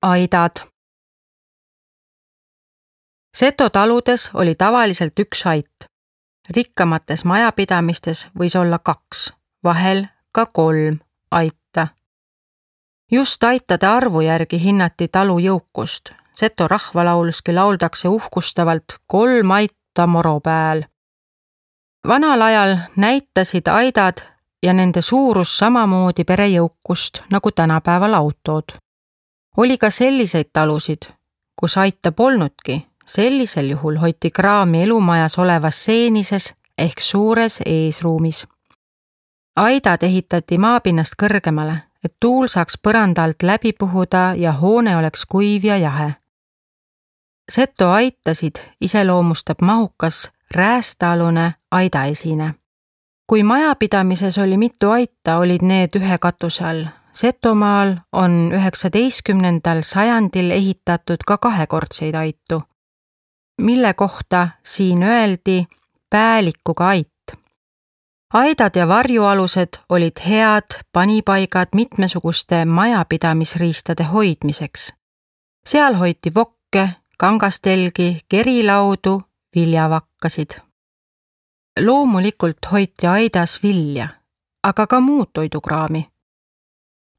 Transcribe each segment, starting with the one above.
Aidad. Seto taludes oli tavaliselt üks ait. Rikkamates majapidamistes võis olla 2, vahel ka 3 aita. Just aitade arvu järgi hinnati talu jõukust. Seto rahvalauluski lauldakse uhkustavalt 3 aita moro pääl. Vanal ajal näitasid aidad ja nende suurus samamoodi pere jõukust nagu tänapäeval autod. Oli ka selliseid talusid, kus aita polnudki. Sellisel juhul hoiti kraami elumajas olevas seenises ehk suures eesruumis. Aidad ehitati maapinnast kõrgemale, et tuul saaks põranda alt läbi puhuda ja hoone oleks kuiv ja jahe. Seto aitasid iseloomustab mahukas räästaalune aidaesine. Kui majapidamises oli mitu aita, olid need ühe katuse all. Setomaal on 19. sajandil ehitatud ka 2-kordseid aitu, mille kohta siin öeldi päälikuga ait. Aidad ja varjualused olid head panipaigad mitmesuguste majapidamisriistade hoidmiseks. Seal hoiti vokke, kangastelgi, kerilaudu, viljavakkasid. Loomulikult hoiti aidas vilja, aga ka muud toidukraami.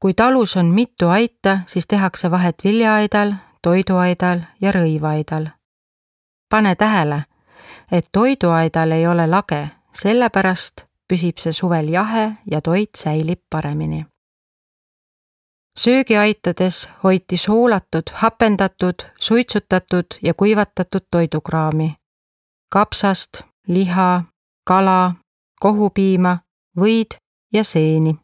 Kui talus on mitu aita, siis tehakse vahet viljaaidal, toiduaidal ja rõivaaidal. Pane tähele, et toiduaidal ei ole lage, sellepärast püsib see suvel jahe ja toit säilib paremini. Söögiaitades hoiti soolatud, hapendatud, suitsutatud ja kuivatatud toidukraami. Kapsast, liha, kala, kohupiima, võid ja seeni.